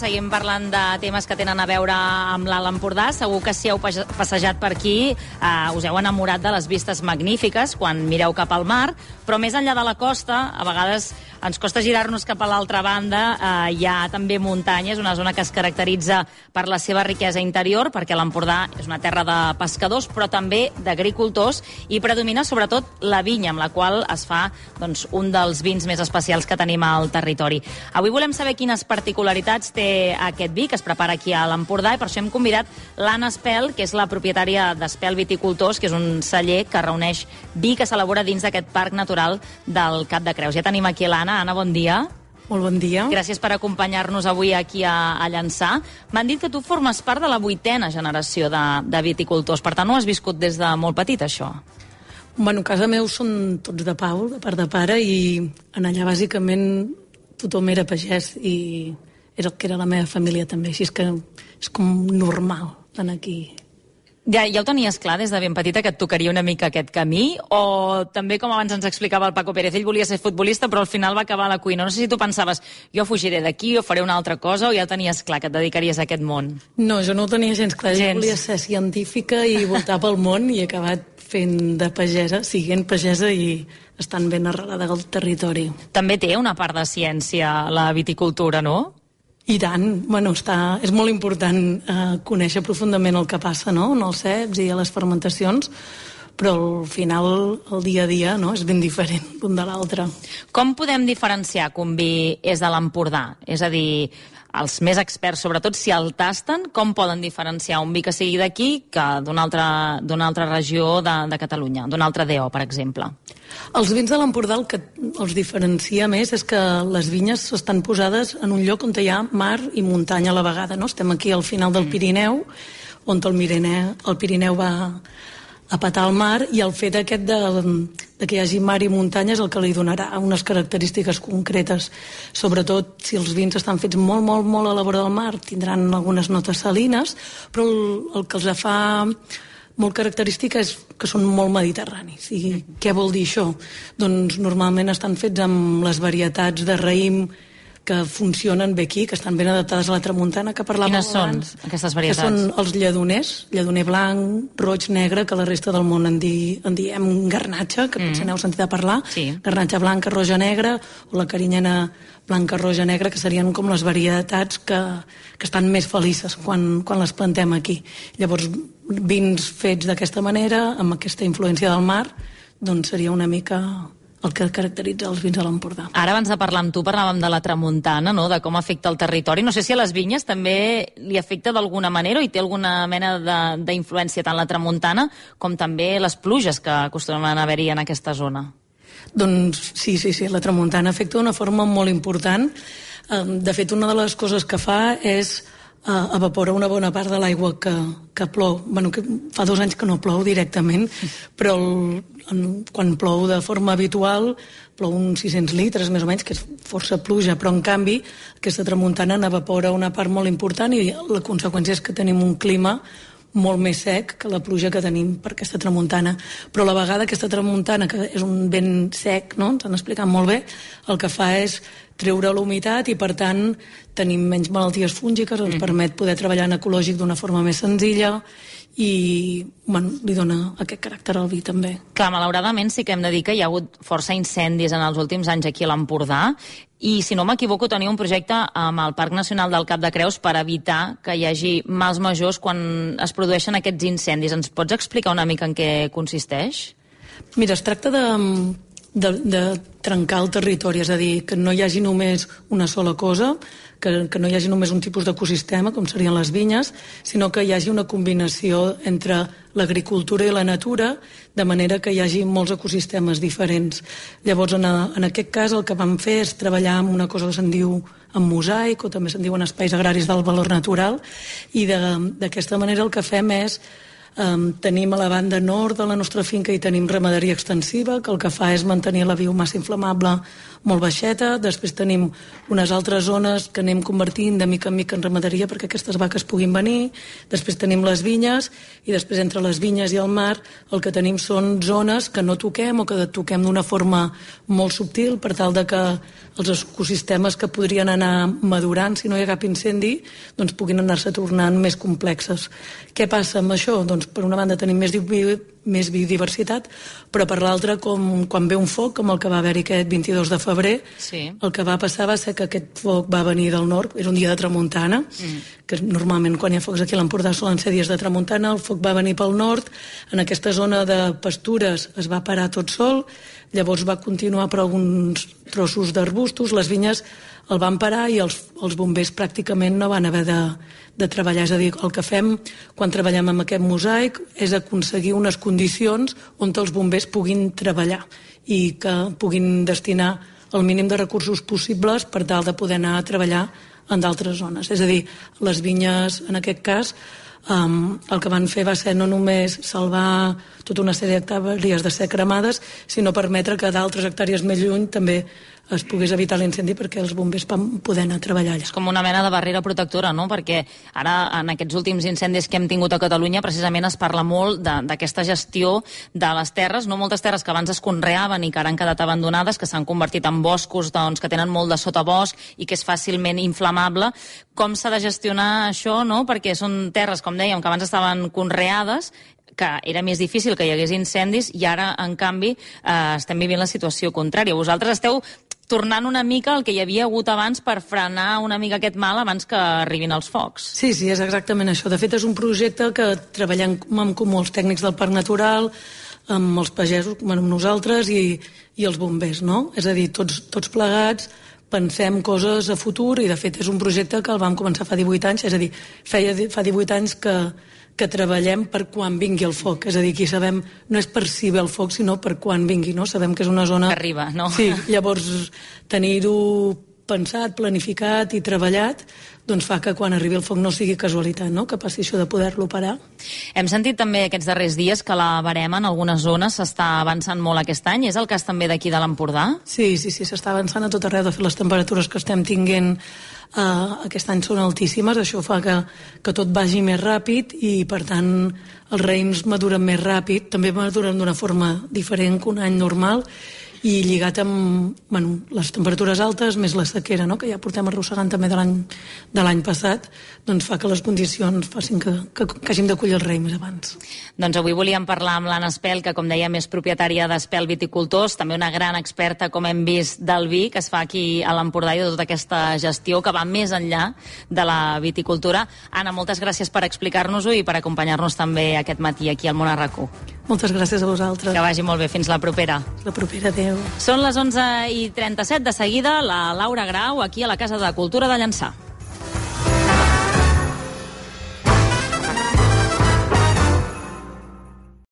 seguim parlant de temes que tenen a veure amb l'Alt Empordà. Segur que si heu passejat per aquí us heu enamorat de les vistes magnífiques quan mireu cap al mar, però més enllà de la costa, a vegades ens costa girar-nos cap a l'altra banda. Hi ha també muntanyes, una zona que es caracteritza per la seva riquesa interior, perquè l'Empordà és una terra de pescadors, però també d'agricultors, i predomina sobretot la vinya, amb la qual es fa un dels vins més especials que tenim al territori. Avui volem saber quines particularitats té aquest vi que es prepara aquí a l'Empordà, i per això hem convidat l'Anna Espel, que és la propietària d'Espel Viticultors, que és un celler que reuneix vi que s'elabora dins d'aquest parc natural del Cap de Creus. Ja tenim aquí l'Anna. Anna, bon dia. Molt bon dia. Gràcies per acompanyar-nos avui aquí a Llançà. M'han dit que tu formes part de la 8a generació de viticultors, per tant ho has viscut des de molt petit, això. Bueno, a casa meu són tots de Pau, de part de pare, i en allà bàsicament tothom era pagès i era el que era la meva família també, així és que és com normal d'anar aquí. Ja ho tenies clar des de ben petita que et tocaria una mica aquest camí, o també, com abans ens explicava el Paco Pérez, ell volia ser futbolista però al final va acabar a la cuina? No sé si tu pensaves, jo fugiré d'aquí o faré una altra cosa, o ja tenies clar que et dedicaries a aquest món? No, jo no ho tenia gens clar. Jo volia ser científica i voltar pel món, i he acabat fent de pagesa, siguent pagesa i estant ben arrelada al territori. També té una part de ciència la viticultura, no? I tant, bueno, és molt important conèixer profundament el que passa, no?, en els ceps i a les fermentacions, però al final, el dia a dia, no?, és ben diferent l'un de l'altre. Com podem diferenciar que un vi és de l'Empordà? És a dir, els més experts, sobretot, si el tasten, com poden diferenciar un vi que sigui d'aquí que d'una altra regió de Catalunya, d'un altre DO, per exemple? Els vins de l'Empordà el que els diferencia més és que les vinyes estan posades en un lloc on hi ha mar i muntanya a la vegada, no? Estem aquí al final del Pirineu, on el Pirineu va a patar al mar, i el fet aquest de que hi hagi mar i muntanya és el que li donarà unes característiques concretes. Sobretot, si els vins estan fets molt, molt, molt a la vora del mar, tindran algunes notes salines, però el que els fa molt característica és que són molt mediterranis. I què vol dir això? Doncs normalment estan fets amb les varietats de raïm que funcionen bé aquí, que estan ben adaptades a la tramuntana, que parlàvem abans. Quines són aquestes varietats? Que són els lledoners, lledoner blanc, roig, negre, que la resta del món en diem garnatxa, que potser n'heu sentit a parlar, garnatxa blanca, roja, negra, o la carinyena blanca, roja, negra, que serien com les varietats que estan més felices quan les plantem aquí. Llavors, vins fets d'aquesta manera, amb aquesta influència del mar, doncs seria una mica el que caracteritza els vins de l'Empordà. Ara, abans de parlar amb tu, parlàvem de la tramuntana, no?, de com afecta el territori. No sé si a les vinyes també li afecta d'alguna manera, o hi té alguna mena d'influència tant la tramuntana com també les pluges que acostumen a haver-hi en aquesta zona. Doncs sí, la tramuntana afecta d'una forma molt important. De fet, una de les coses que fa és evapora una bona part de l'aigua que plou. Bueno, que fa 2 anys que no plou directament, però quan plou de forma habitual plou uns 600 litres, més o menys, que és força pluja, però en canvi aquesta tramuntana n'evapora una part molt important, i la conseqüència és que tenim un clima molt més sec que la pluja que tenim per aquesta tramuntana. Però a la vegada aquesta tramuntana, que és un vent sec, no?, ens han explicat molt bé, el que fa és treure l'humitat i, per tant, tenim menys malalties fúngiques, ens permet poder treballar en ecològic d'una forma més senzilla i, bueno, li dona aquest caràcter al vi també. Clar, malauradament sí que hem de dir que hi ha hagut força incendis en els últims anys aquí a l'Empordà, i si no m'equivoco teniu un projecte amb el Parc Nacional del Cap de Creus per evitar que hi hagi mals majors quan es produeixen aquests incendis. Ens pots explicar una mica en què consisteix? Mira, es tracta de trencar el territori, és a dir, que no hi hagi només una sola cosa, que no hi hagi només un tipus d'ecosistema, com serien les vinyes, sinó que hi hagi una combinació entre l'agricultura i la natura, de manera que hi hagi molts ecosistemes diferents. Llavors, en aquest cas, el que vam fer és treballar amb una cosa que se'n diu en mosaic, o també se'n diuen espais agraris del valor natural, i d'aquesta manera el que fem és Tenim a la banda nord de la nostra finca i tenim ramaderia extensiva, que el que fa és mantenir la biomassa inflamable molt baixeta. Després tenim unes altres zones que anem convertint de mica en mica en ramaderia perquè aquestes vaques puguin venir. Després tenim les vinyes i després entre les vinyes i el mar el que tenim són zones que no toquem o que toquem d'una forma molt subtil per tal de que els ecosistemes que podrien anar madurant si no hi ha cap incendi doncs puguin anar-se tornant més complexes. Què passa amb això? Doncs per una banda tenim més biodiversitat, però per l'altra, quan ve un foc, com el que va haver-hi aquest 22 de febrer, el que va passar va ser que aquest foc va venir del nord, era un dia de tramuntana, que normalment quan hi ha focs aquí a l'Empordà solen ser dies de tramuntana, el foc va venir pel nord, en aquesta zona de pastures es va parar tot sol, llavors va continuar per alguns trossos d'arbustos, les vinyes el van parar i els bombers pràcticament no van haver de treballar. És a dir, el que fem quan treballem amb aquest mosaic és aconseguir unes condicions on els bombers puguin treballar i que puguin destinar el mínim de recursos possibles per tal de poder anar a treballar en d'altres zones. És a dir, les vinyes, en aquest cas, el que van fer va ser no només salvar tota una sèrie d'hectàrees de ser cremades, sinó permetre que d'altres hectàrees més lluny també es pogués evitar l'incendi perquè els bombers van poder anar a treballar allà. És com una mena de barrera protectora, no? Perquè ara, en aquests últims incendis que hem tingut a Catalunya, precisament es parla molt d'aquesta gestió de les terres, no? Moltes terres que abans es conreaven i que ara han quedat abandonades, que s'han convertit en boscos que tenen molt de sotabosc i que és fàcilment inflamable. Com s'ha de gestionar això, no? Perquè són terres, com dèiem, que abans estaven conreades, que era més difícil que hi hagués incendis i ara, en canvi, estem vivint la situació contrària. Vosaltres esteu tornant una mica el que hi havia hagut abans per frenar una mica aquest mal abans que arribin els focs. Sí, és exactament això. De fet, és un projecte que treballem en comú els tècnics del Parc Natural, amb els pagesos, amb nosaltres i els bombers, no? És a dir, tots plegats pensem coses a futur i, de fet, és un projecte que el vam començar fa 18 anys, és a dir, fa 18 anys que treballem per quan vingui el foc. És a dir, aquí sabem, no és per si ve el foc, sinó per quan vingui, no? Sabem que és una zona... Que arriba, no? Sí, llavors tenir-ho pensat, planificat i treballat, doncs fa que quan arribi el foc no sigui casualitat, no? Que passi això de poder-lo parar. Hem sentit també aquests darrers dies que la verema en algunes zones s'està avançant molt aquest any. És el cas també d'aquí de l'Empordà? Sí, s'està avançant a tot arreu. De fet, les temperatures que estem tinguent aquest any són altíssimes. Això fa que tot vagi més ràpid i, per tant, els raïms maduren més ràpid. També maduren d'una forma diferent que un any normal i lligat amb les temperatures altes més la sequera, no? Que ja portem arrossegant també de l'any passat, doncs fa que les condicions facin que hàgim de collir el raïm més abans. Doncs avui volíem parlar amb l'Anna Espel, que com dèiem és propietària d'Espel Viticultors, també una gran experta, com hem vist, del vi que es fa aquí a l'Empordà i de tota aquesta gestió que va més enllà de la viticultura. Anna, moltes gràcies per explicar-nos-ho i per acompanyar-nos també aquest matí aquí al Món a RAC1. Moltes gràcies a vosaltres. Que vagi molt bé. Fins la propera. La propera, adéu. Són les 11:37. De seguida, la Laura Grau, aquí a la Casa de Cultura de Llançà.